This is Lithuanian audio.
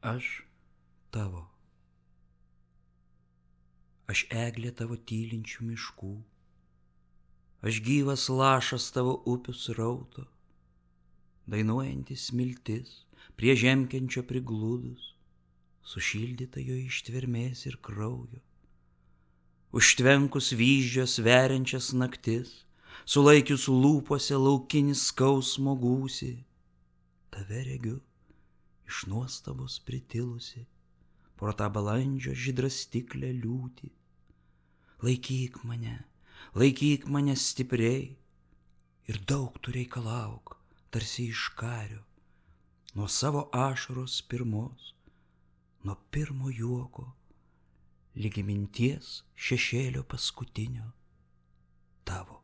Aš tavo. Aš eglė tavo tylinčių miškų. Aš gyvas lašas tavo upių srauto, dainuojantis smiltis prie žemkenčio prigludus, sušildyta jo ištvermės ir kraujo. Užtvenkus vyzdžios veriančias naktis, sulaikius lūpose laukinis skausmo gūsį, tave regiu iš nuostabos pritilusi pro tą balandžio žydrastiklę liūtį. Laikyk mane stipriai ir daug tu reikalauk, tarsi iš kario, nuo savo ašaros pirmos, nuo pirmo juoko, ligi minties šešėlio paskutinio tavo.